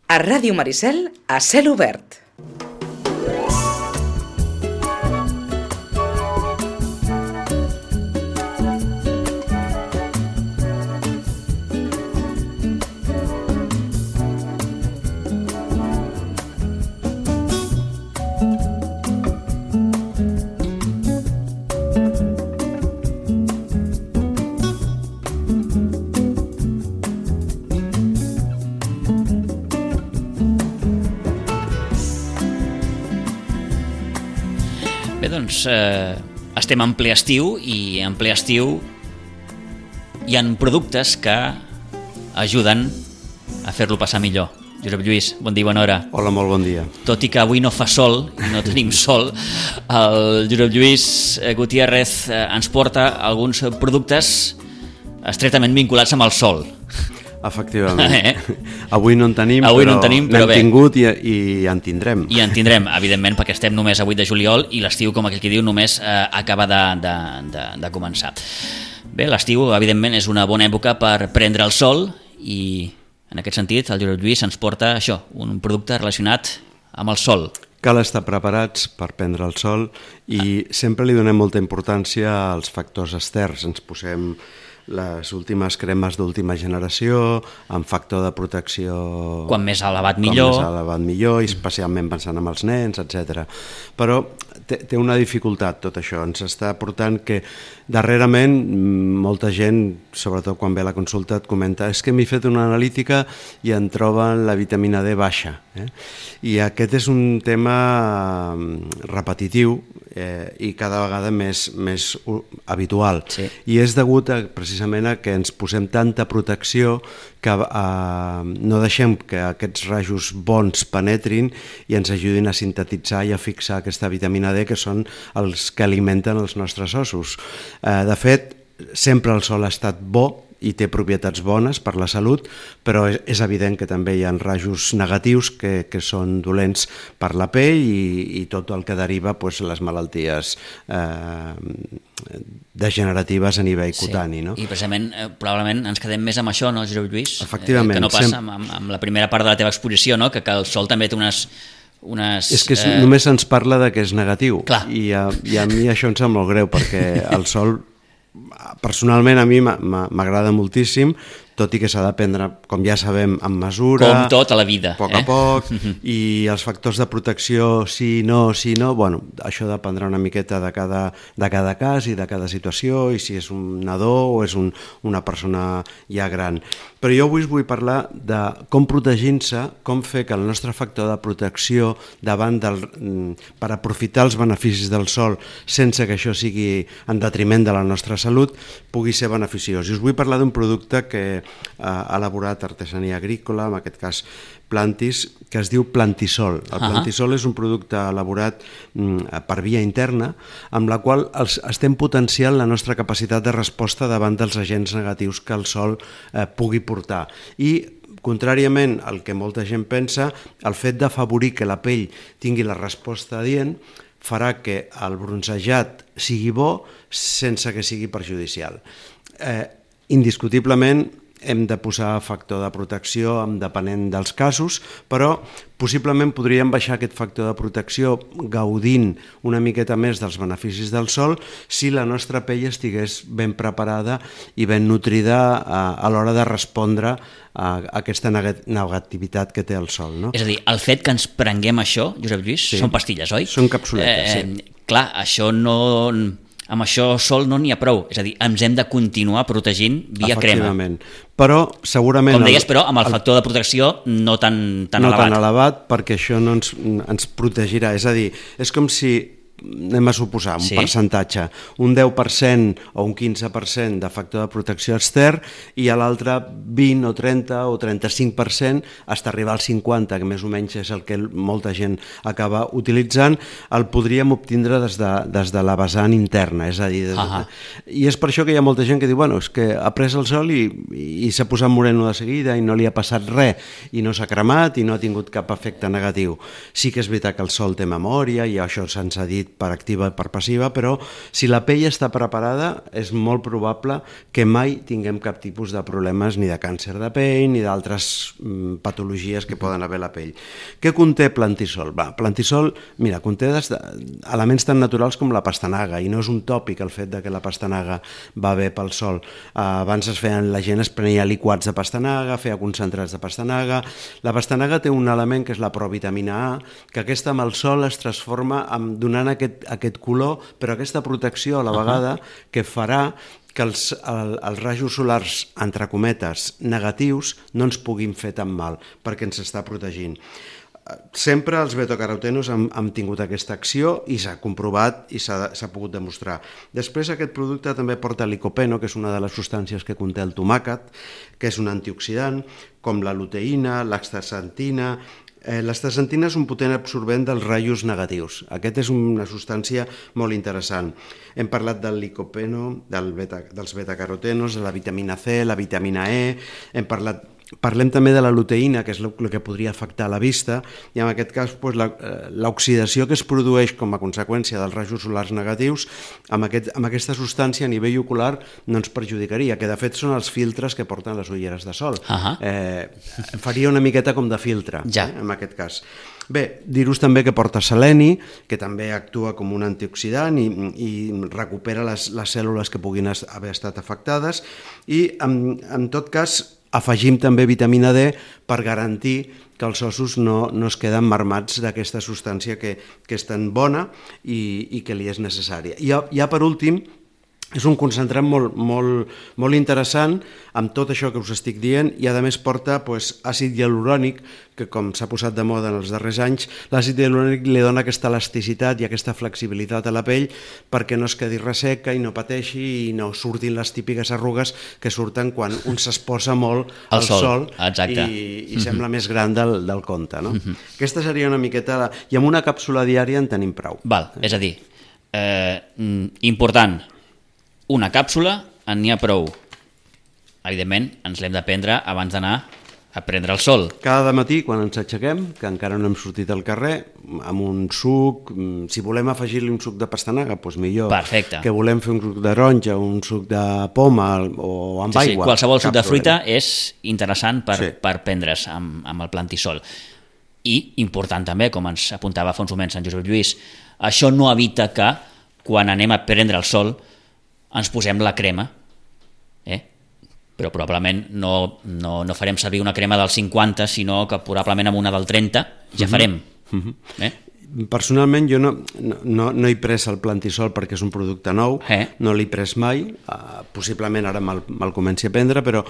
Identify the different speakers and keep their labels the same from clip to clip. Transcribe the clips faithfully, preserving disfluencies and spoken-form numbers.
Speaker 1: A Ràdio Maricel, a cel obert.
Speaker 2: Doncs eh, estem en ple estiu i en ple estiu hi ha productes que ajuden a fer-lo passar millor. Josep Lluís, bon dia, bona hora.
Speaker 3: Hola, molt bon dia.
Speaker 2: Tot i que avui no fa sol i no tenim sol, el Josep Lluís Gutiérrez ens porta alguns productes estretament vinculats amb el sol.
Speaker 3: Efectivament.
Speaker 2: Eh?
Speaker 3: Avui no en tenim,
Speaker 2: avui
Speaker 3: però,
Speaker 2: no en tenim, però
Speaker 3: n'hem
Speaker 2: bé.
Speaker 3: tingut i, i en tindrem.
Speaker 2: I en tindrem, evidentment, perquè estem només a vuit de juliol i l'estiu, com aquell que diu, només eh, acaba de, de, de, de començar. Bé, l'estiu, evidentment, és una bona època per prendre el sol i, en aquest sentit, el Josep Lluís ens porta això, un producte relacionat amb el sol.
Speaker 3: Cal estar preparats per prendre el sol i ah. sempre li donem molta importància als factors externs. Ens posem les últimes cremes d'última generació, amb factor de protecció...
Speaker 2: Quan més elevat millor.
Speaker 3: Quan més elevat millor, i especialment pensant en els nens, etcètera. Però té, té una dificultat tot això. Ens està portant que darrerament molta gent, sobretot quan ve a la consulta, et comenta és que m'he fet una analítica i en troben la vitamina D baixa. Eh? I aquest és un tema repetitiu eh, i cada vegada més, més habitual.
Speaker 2: Sí.
Speaker 3: I és degut a, precisament a que ens posem tanta protecció que eh, no deixem que aquests rajos bons penetrin i ens ajudin a sintetitzar i a fixar aquesta vitamina D, que són els que alimenten els nostres ossos. Eh, de fet, sempre el sol ha estat bo i té propietats bones per la salut, però és, és evident que també hi ha rajos negatius que, que són dolents per la pell i, i tot el que deriva pues, les malalties eh, degeneratives a nivell
Speaker 2: sí.
Speaker 3: cutani. No?
Speaker 2: I precisament, eh, probablement ens quedem més amb això, no, Josep Lluís?
Speaker 3: Efectivament.
Speaker 2: Eh, que no passa
Speaker 3: sem...
Speaker 2: amb, amb la primera part de la teva exposició, no? que, que el sol també té unes... unes
Speaker 3: és que és,
Speaker 2: eh...
Speaker 3: només se'ns parla de que és negatiu.
Speaker 2: Clar.
Speaker 3: I a, i a mi això em sap molt greu, perquè el sol... Personalment a mi m'agrada moltíssim, tot i que s'ha de prendre, com ja sabem, amb mesura...
Speaker 2: Com tot a la vida.
Speaker 3: A poc
Speaker 2: eh?
Speaker 3: a poc, i els factors de protecció, sí, no, sí, no... Bueno, això dependrà una miqueta de cada, de cada cas i de cada situació, i si és un nadó o és un, una persona ja gran. Però jo avui us vull parlar de com protegir-se, com fer que el nostre factor de protecció davant del, per aprofitar els beneficis del sol sense que això sigui en detriment de la nostra salut, pugui ser beneficiós. I us vull parlar d'un producte que ha elaborat Artesania Agrícola, en aquest cas Plantis, que es diu Plantisol. El
Speaker 2: uh-huh.
Speaker 3: Plantisol és un producte elaborat mm, per via interna, amb la qual els, estem potenciant la nostra capacitat de resposta davant dels agents negatius que el sol eh, pugui portar. I contràriament al que molta gent pensa, el fet d'afavorir que la pell tingui la resposta adient farà que el bronzejat sigui bo sense que sigui perjudicial. Eh, indiscutiblement hem de posar factor de protecció depenent dels casos, però possiblement podríem baixar aquest factor de protecció gaudint una miqueta més dels beneficis del sol si la nostra pell estigués ben preparada i ben nutrida a, a l'hora de respondre a aquesta negativitat que té el sol. No?
Speaker 2: És a dir, el fet que ens prenguem això, Josep Lluís, sí. són pastilles, oi?
Speaker 3: Són capsuletes,
Speaker 2: eh,
Speaker 3: sí.
Speaker 2: Clar, això no... amb això sol no n'hi ha prou, és a dir, ens hem de continuar protegint via crema.
Speaker 3: Efectivament, però segurament...
Speaker 2: Com deies, però, amb el factor de protecció no tan, tan
Speaker 3: no
Speaker 2: elevat.
Speaker 3: No tan elevat, perquè això no ens, ens protegirà. És a dir, és com si anem a suposar un sí. percentatge, un deu per cent o un quinze per cent de factor de protecció extern i a l'altre vint o trenta o trenta-cinc per cent hasta arribar al cinquanta, que més o menys és el que molta gent acaba utilitzant, el podríem obtindre des de, des de la vessant interna, és a dir, des de... i és per això que hi ha molta gent que diu, bueno, és que ha pres el sol i, i s'ha posat moreno de seguida i no li ha passat res i no s'ha cremat i no ha tingut cap efecte negatiu. Sí que és veritat que el sol té memòria i això se'ns ha dit dit per activa i per passiva, però si la pell està preparada és molt probable que mai tinguem cap tipus de problemes ni de càncer de pell ni d'altres mm, patologies que poden haver a la pell. Què conté Plantisol? Va, Plantisol, mira, conté des de, elements tan naturals com la pastanaga, i no és un tòpic el fet de que la pastanaga va bé pel sol. Uh, abans es feien, la gent es prenia liquats de pastanaga, feia concentrats de pastanaga. La pastanaga té un element que és la provitamina A, que aquesta amb el sol es transforma en, donant aquest, aquest color, però aquesta protecció a la vegada que farà que els, el, els rajos solars, entre cometes, negatius, no ens puguin fer tan mal, perquè ens està protegint. Sempre els betacarotenos han, han tingut aquesta acció i s'ha comprovat i s'ha pogut demostrar. Després aquest producte també porta licopeno, que és una de les substàncies que conté el tomàquet, que és un antioxidant, com la luteïna, l'astaxantina. Eh, l'astaxantina és un potent absorbent dels rajos negatius. Aquest és una substància molt interessant. Hem parlat del licopeno, del beta, dels betacarotenos, de la vitamina C, la vitamina E, hem parlat... Parlem també de la luteïna, que és el que podria afectar la vista, i en aquest cas doncs, l'oxidació que es produeix com a conseqüència dels rajos solars negatius amb, aquest, amb aquesta substància a nivell ocular no ens perjudicaria, que de fet són els filtres que porten les ulleres de sol. Uh-huh. eh, faria una miqueta com de filtre, ja. eh, en aquest cas. Bé, dir-vos també que porta seleni, que també actua com un antioxidant i, i recupera les, les cèl·lules que puguin haver estat afectades, i en, en tot cas afegim també vitamina D per garantir que els ossos no, no es queden marmats d'aquesta substància que, que és tan bona i, i que li és necessària. I ja, ja per últim, és un concentrat molt, molt, molt interessant amb tot això que us estic dient, i a més porta pues, àcid hialurònic, que com s'ha posat de moda en els darrers anys, l'àcid hialurònic li dona aquesta elasticitat i aquesta flexibilitat a la pell perquè no es quedi resseca i no pateixi i no surtin les típiques arrugues que surten quan un s'exposa molt al sol, sol i, i mm-hmm. sembla més gran del, del compte. No? Mm-hmm. Aquesta seria una miqueta... La... I amb una càpsula diària en tenim prou.
Speaker 2: Val, és a dir, eh, important... Una càpsula, en n'hi ha prou. Evidentment, ens l'hem de prendre abans d'anar a prendre el sol.
Speaker 3: Cada matí, quan ens aixequem, que encara no hem sortit al carrer, amb un suc, si volem afegir-li un suc de pastanaga, doncs millor.
Speaker 2: Perfecte.
Speaker 3: Que volem fer un suc de taronja, un suc de poma o amb
Speaker 2: sí,
Speaker 3: aigua.
Speaker 2: Sí, qualsevol suc de fruita és interessant per, sí. per prendre's amb, amb el Plantisol. I, important també, com ens apuntava fa uns moments en Josep Lluís, això no evita que, quan anem a prendre el sol, ens posem la crema, eh? però probablement no, no, no farem servir una crema del cinquanta, sinó que probablement amb una del trenta ja farem. Uh-huh. eh?
Speaker 3: Personalment jo no, no, no he pres el Plantisol perquè és un producte nou, eh? no l'he pres mai, uh, possiblement ara me'l, me'l comenci a prendre, però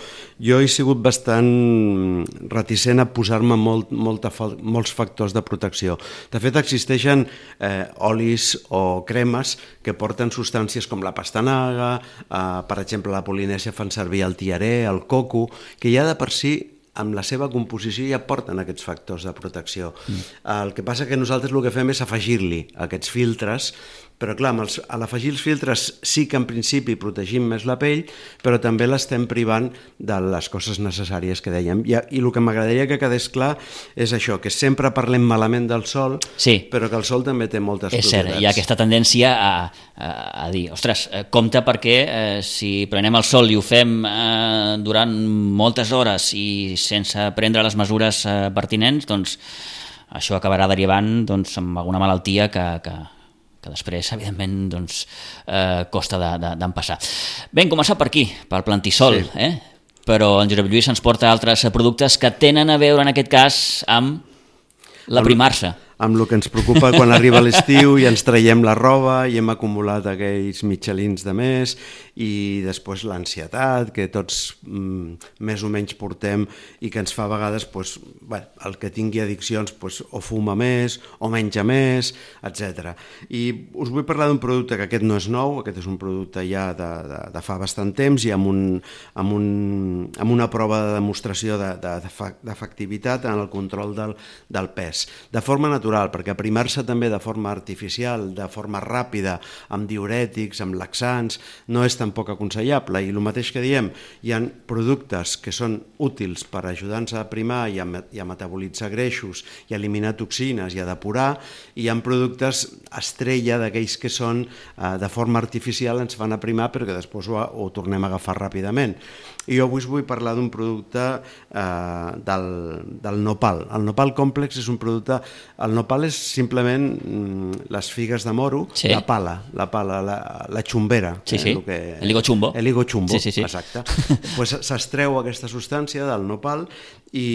Speaker 3: jo he sigut bastant reticent a posar-me molt, molta, molts factors de protecció. De fet existeixen eh, olis o cremes que porten substàncies com la pastanaga, eh, per exemple la Polinèsia fan servir el tiaré, el coco, que ja de per si amb la seva composició ja porten aquests factors de protecció. Mm. El que passa que nosaltres el que fem és afegir-li aquests filtres, però clar, els, a l'afegir els filtres sí que en principi protegim més la pell, però també l'estem privant de les coses necessàries que dèiem. I, i el que m'agradaria que quedés clar és això, que sempre parlem malament del sol, sí. però que el sol també té moltes
Speaker 2: és
Speaker 3: propietats.
Speaker 2: És cert, hi ha aquesta tendència a, a, a dir, ostres, compte perquè eh, si prenem el sol i ho fem eh, durant moltes hores i sense prendre les mesures eh, pertinents, doncs això acabarà derivant doncs, amb alguna malaltia que... que que després, evidentment, doncs, eh, costa d'empassar. De, de, Vam començar per aquí, pel Plantisol, sí. eh? però en Josep Lluís ens porta altres productes que tenen a veure, en aquest cas, amb la primarsa.
Speaker 3: Amb el que ens preocupa quan arriba l'estiu i ens traiem la roba i hem acumulat aquells mitjalins de més, i després l'ansietat que tots mm, més o menys portem i que ens fa a vegades pues, bueno, el que tingui addiccions pues, o fuma més o menja més, etcètera. I us vull parlar d'un producte que aquest no és nou, aquest és un producte ja de, de, de fa bastant temps i amb, un, amb, un, amb una prova de demostració de, de, d'efectivitat en el control del, del pes. De forma natural, natural, perquè aprimar-se també de forma artificial, de forma ràpida, amb diurètics, amb laxants, no és tampoc aconsellable. I el mateix que diem, hi ha productes que són útils per ajudar-nos a aprimar i a, i a metabolitzar greixos i a eliminar toxines i a depurar, i hi ha productes estrella d'aquells que són eh, de forma artificial, ens fan aprimar però que després ho, ho tornem a agafar ràpidament. I jo avui us vull parlar d'un producte eh, del, del nopal. El nopal complex és un producte... El nopal és simplement mm, les figues de moro, sí. la pala, la pala, la, la xumbera.
Speaker 2: Sí, sí,
Speaker 3: eh, el, que,
Speaker 2: el higo chumbo.
Speaker 3: El higo chumbo,
Speaker 2: sí, sí, sí.
Speaker 3: exacte. Pues s'extreu aquesta substància del nopal i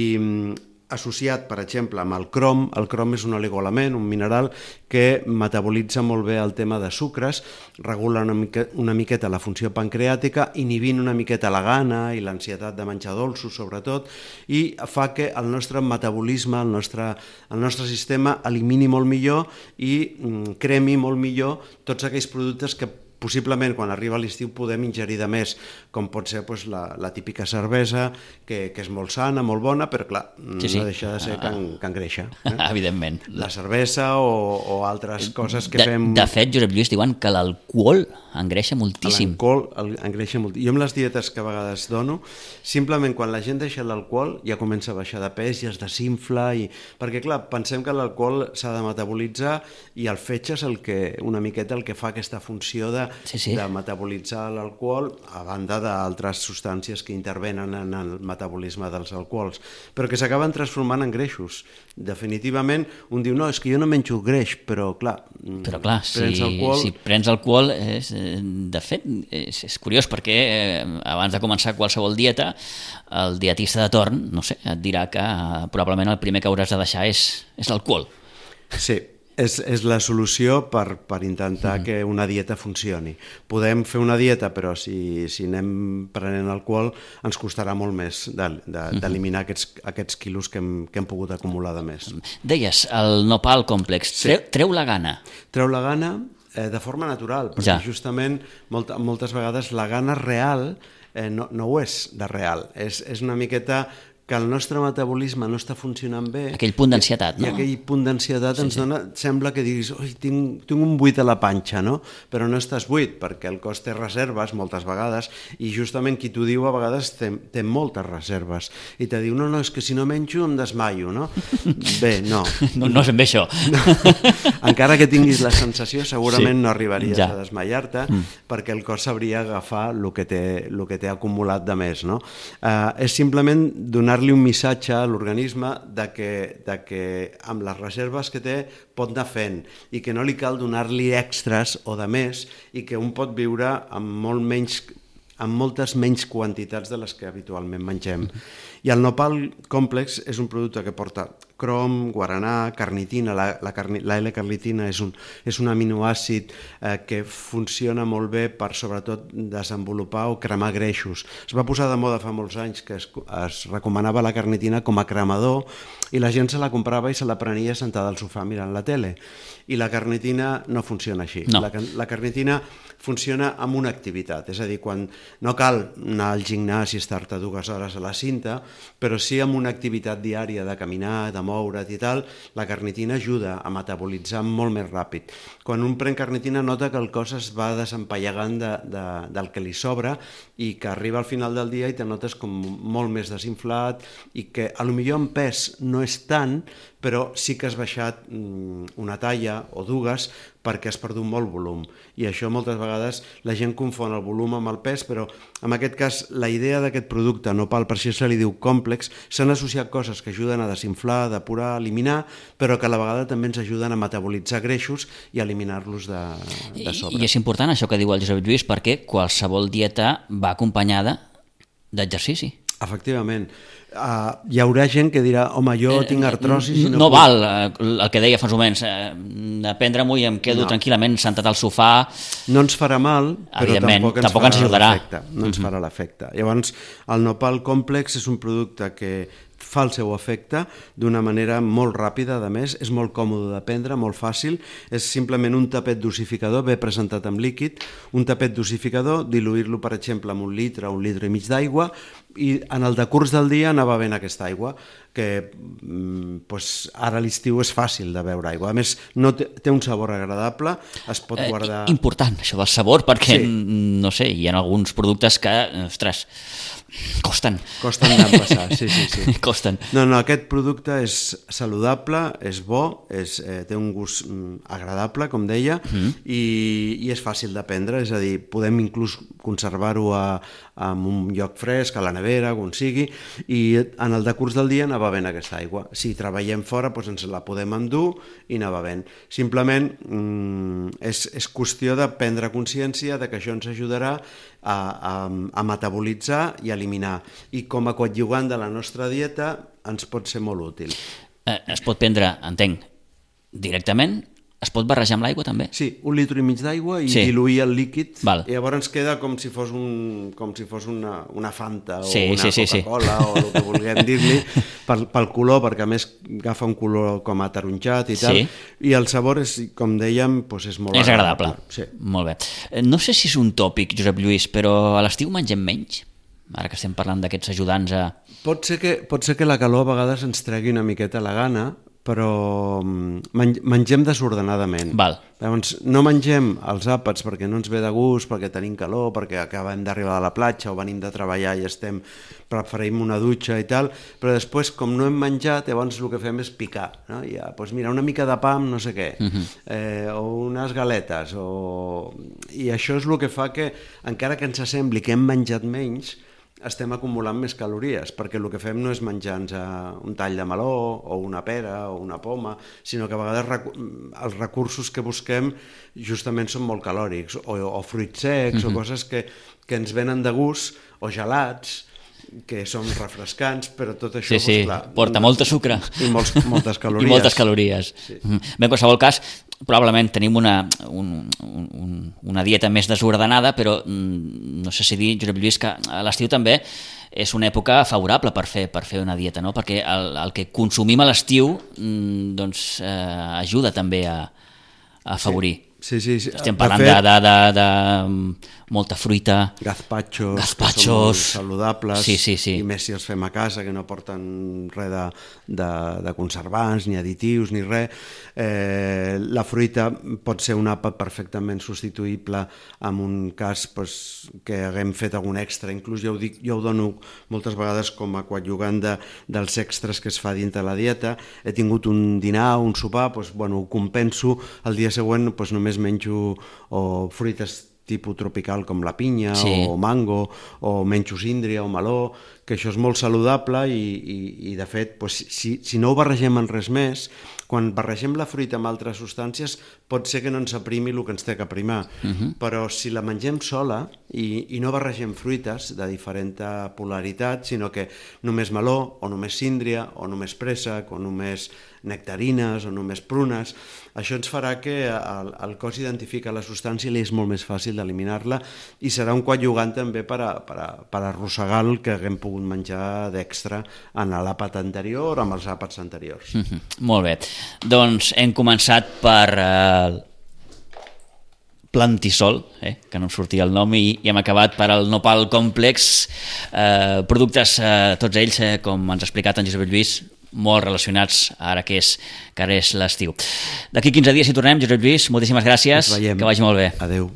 Speaker 3: associat, per exemple, amb el crom. El crom és un oligoelement, un mineral que metabolitza molt bé el tema de sucres, regula una, mica, una miqueta la funció pancreàtica, inhibint una miqueta la gana i l'ansietat de menjar dolços, sobretot, i fa que el nostre metabolisme, el nostre, el nostre sistema elimini molt millor i mm, cremi molt millor tots aquells productes que possiblement quan arriba l'estiu podem ingerir de més, com pot ser pues, la, la típica cervesa, que, que és molt sana, molt bona, però clar, sí, sí. no deixa de ser can, can greixa. Eh?
Speaker 2: Evidentment.
Speaker 3: La cervesa o, o altres coses que
Speaker 2: de,
Speaker 3: fem...
Speaker 2: De fet, Josep Lluís, diuen que l'alcohol engreixa moltíssim.
Speaker 3: L'alcohol engreixa moltíssim. Jo amb les dietes que a vegades dono, simplement quan la gent deixa l'alcohol ja comença a baixar de pes i es desinfla, i... perquè clar, pensem que l'alcohol s'ha de metabolitzar i el fetge és el que, una miqueta el que fa aquesta funció de Sí, sí. de metabolitzar l'alcohol a banda d'altres substàncies que intervenen en el metabolisme dels alcohols, però que s'acaben transformant en greixos. Definitivament, un diu, no, és que jo no menjo greix, però clar,
Speaker 2: però clar si,
Speaker 3: prens alcohol...
Speaker 2: si prens alcohol, és, de fet, és, és curiós perquè eh, abans de començar qualsevol dieta, el dietista de torn, no sé, et dirà que eh, probablement el primer que hauràs de deixar és, és l'alcohol.
Speaker 3: Sí. És, és la solució per, per intentar mm. que una dieta funcioni. Podem fer una dieta, però si, si anem prenent alcohol ens costarà molt més d'eliminar de, de, aquests, aquests quilos que hem, que hem pogut acumular de més.
Speaker 2: Deies, el nopal complex, sí. treu, treu la gana.
Speaker 3: Treu la gana eh, de forma natural, perquè ja. justament molt, moltes vegades la gana real eh, no, no ho és de real, és, és una miqueta que el nostre metabolisme no està funcionant bé.
Speaker 2: Aquell punt d'ansietat, no?
Speaker 3: I aquell punt d'ansietat
Speaker 2: sí,
Speaker 3: ens
Speaker 2: sí.
Speaker 3: dona, sembla que diguis, oi, tinc, tinc un buit a la panxa, no? Però no estàs buit, perquè el cos té reserves moltes vegades, i justament qui t'ho diu a vegades té, té moltes reserves, i te diu, no, no, és que si no menjo em desmaio, no? Bé, no.
Speaker 2: No, no és ben bé això.
Speaker 3: No. Encara que tinguis la sensació, segurament sí. no arribaries ja. a desmaiar-te, mm. perquè el cos sabria agafar el que té, el que té acumulat de més, no? Uh, és simplement donar donar-li un missatge a l'organisme de que, de que amb les reserves que té pot anar fent i que no li cal donar-li extras o de més i que un pot viure amb molt menys amb moltes menys quantitats de les que habitualment mengem. I el nopal complex és un producte que porta crom, guaranà, carnitina. La, la, carni, la L-carnitina és un, és un aminoàcid eh, que funciona molt bé per, sobretot, desenvolupar o cremar greixos. Es va posar de moda fa molts anys que es, es recomanava la carnitina com a cremador i la gent se la comprava i se la prenia sentada al sofà mirant la tele. I la carnitina no funciona així.
Speaker 2: No.
Speaker 3: La, la carnitina funciona amb una activitat, és a dir, quan no cal anar al gimnàs i estar-te dues hores a la cinta, però sí amb una activitat diària de caminar, de moure't i tal, la carnitina ajuda a metabolitzar molt més ràpid. Quan un pren carnitina nota que el cos es va desempallegant de, de, del que li sobra i que arriba al final del dia i te notes com molt més desinflat i que potser en pes no és tant, però sí que has baixat una talla o dues perquè has perdut molt volum. I això moltes vegades la gent confon el volum amb el pes, però en aquest cas la idea d'aquest producte, nopal, per això se li diu complex, s'han associat coses que ajuden a desinflar, a depurar, a eliminar, però que a la vegada també ens ajuden a metabolitzar greixos i a eliminar-los de, de sobre.
Speaker 2: I és important això que diu el Josep Lluís perquè qualsevol dieta va acompanyada d'exercici.
Speaker 3: Efectivament. Uh, hi haurà gent que dirà, home, jo eh, tinc artrosi... Si
Speaker 2: no
Speaker 3: no
Speaker 2: no
Speaker 3: puc...
Speaker 2: val el que deia fa uns moments, eh, de prendre-m'ho i em quedo no. tranquil·lament sentat al sofà.
Speaker 3: No ens farà mal, però tampoc ens
Speaker 2: tampoc
Speaker 3: farà
Speaker 2: ens ajudarà.
Speaker 3: l'efecte. No ens mm-hmm. farà l'efecte. Llavors, el nopal complex és un producte que fa el seu efecte d'una manera molt ràpida, a més, és molt còmode de prendre, molt fàcil, és simplement un tapet dosificador, bé presentat amb líquid, un tapet dosificador, diluir-lo, per exemple, amb un litre o un litre i mig d'aigua, i en el decurs del dia anar bevent aquesta aigua, que pues, ara a l'estiu és fàcil de beure aigua. A més, no té, té un sabor agradable, es pot guardar...
Speaker 2: Eh, important, això del sabor, perquè,
Speaker 3: sí.
Speaker 2: no sé, hi ha alguns productes que, ostres, costen.
Speaker 3: Costen d'empassar, sí, sí, sí.
Speaker 2: Costen.
Speaker 3: No, no, aquest producte és saludable, és bo, és, eh, té un gust mm, agradable, com deia, mm. i, i és fàcil de prendre, és a dir, podem inclús conservar-ho en un lloc fresc, a la nevera, on sigui, i en el decurs del dia anar bevent aquesta aigua. Si treballem fora, doncs ens la podem endur i anar bevent. Simplement mm, és, és qüestió de prendre consciència de que això ens ajudarà a, a, a metabolitzar i a eliminar. I com a coadjuvant de la nostra dieta ens pot ser molt útil.
Speaker 2: Eh, es pot prendre, entenc, directament. Es pot barrejar amb l'aigua també?
Speaker 3: Sí, un litre i mig d'aigua i
Speaker 2: sí.
Speaker 3: diluir el líquid.
Speaker 2: Val.
Speaker 3: I llavors queda com si fos, un, com si fos una, una Fanta o
Speaker 2: sí,
Speaker 3: una
Speaker 2: sí, sí,
Speaker 3: Coca-Cola
Speaker 2: sí.
Speaker 3: o el que vulguem dir-li pel, pel color, perquè a més agafa un color com ataronjat i tal.
Speaker 2: Sí.
Speaker 3: I el sabor, és, com dèiem, doncs és molt
Speaker 2: és agradable.
Speaker 3: agradable. Sí.
Speaker 2: Molt bé. No sé si és un tòpic, Josep Lluís, però a l'estiu mengem menys? Ara que estem parlant d'aquests ajudants a...
Speaker 3: Pot ser, que, pot ser que la calor a vegades ens tregui una miqueta la gana, però mengem desordenadament.
Speaker 2: Val.
Speaker 3: Llavors, no mengem els àpats perquè no ens ve de gust, perquè tenim calor, perquè acabem d'arribar a la platja o venim de treballar i estem, preferim una dutxa i tal, però després, com no hem menjat, llavors el que fem és picar. No? Ja, doncs mira, una mica de pa amb no sé què, uh-huh. eh, o unes galetes, o... i això és el que fa que, encara que ens sembli que hem menjat menys, estem acumulant més calories, perquè el que fem no és menjar-nos un tall de meló o una pera o una poma, sinó que a vegades recu- els recursos que busquem justament són molt calòrics, o, o fruits secs, mm-hmm. o coses que, que ens venen de gust, o gelats, que són refrescants, però tot això...
Speaker 2: Sí, sí,
Speaker 3: doncs, clar,
Speaker 2: porta molta sucre.
Speaker 3: I molts, moltes calories.
Speaker 2: I moltes calories. Sí. Bé, en qualsevol cas, probablement tenim una, un, un, una dieta més desordenada, però no sé si dir, Josep Lluís, que a l'estiu també és una època favorable per fer, per fer una dieta, no? Perquè el, el que consumim a l'estiu doncs, eh, ajuda també a, a afavorir.
Speaker 3: Sí. Sí, sí, sí.
Speaker 2: Estem parlant de, fet, de, de, de, de molta fruita,
Speaker 3: gazpachos,
Speaker 2: gazpachos
Speaker 3: saludables,
Speaker 2: sí, sí, sí.
Speaker 3: i més si els fem a casa, que no porten res de, de, de conservants, ni additius, ni res. Eh, la fruita pot ser un àpat perfectament substituïble en un cas pues, que haguem fet algun extra. Inclús jo ho, dic, jo ho dono moltes vegades com a coadjuvant de, dels extras que es fa dintre la dieta. He tingut un dinar, un sopar, pues, bueno, ho compenso, el dia següent pues, només menjo o fruites tipus tropical com la pinya, sí. o mango, o menjo síndria o meló, que això és molt saludable i, i, i de fet, doncs, si, si no ho barregem en res més, quan barregem la fruita amb altres substàncies pot ser que no ens aprimi el que ens té que aprimar, uh-huh. però si la mengem sola i, i no barregem fruites de diferent polaritat, sinó que només meló, o només síndria, o només préssec, o només nectarines, o només prunes, això ens farà que el, el cos identifica la substància i li és molt més fàcil d'eliminar-la i serà un coadjuvant també per, a, per, a, per arrossegar el que haguem pogut menjar d'extra en l'àpat anterior o amb els àpats anteriors.
Speaker 2: Mm-hmm. Molt bé. Doncs hem començat per eh, Plantisol, eh, que no em sortia el nom, i, i hem acabat per al Nopal Complex, eh, productes, eh, tots ells, eh, com ens ha explicat en Josep Lluís, molt relacionats ara que és, que ara és l'estiu. D'aquí quinze dies hi tornem, Josep Lluís, moltíssimes gràcies, que vagi molt bé.
Speaker 3: Adéu.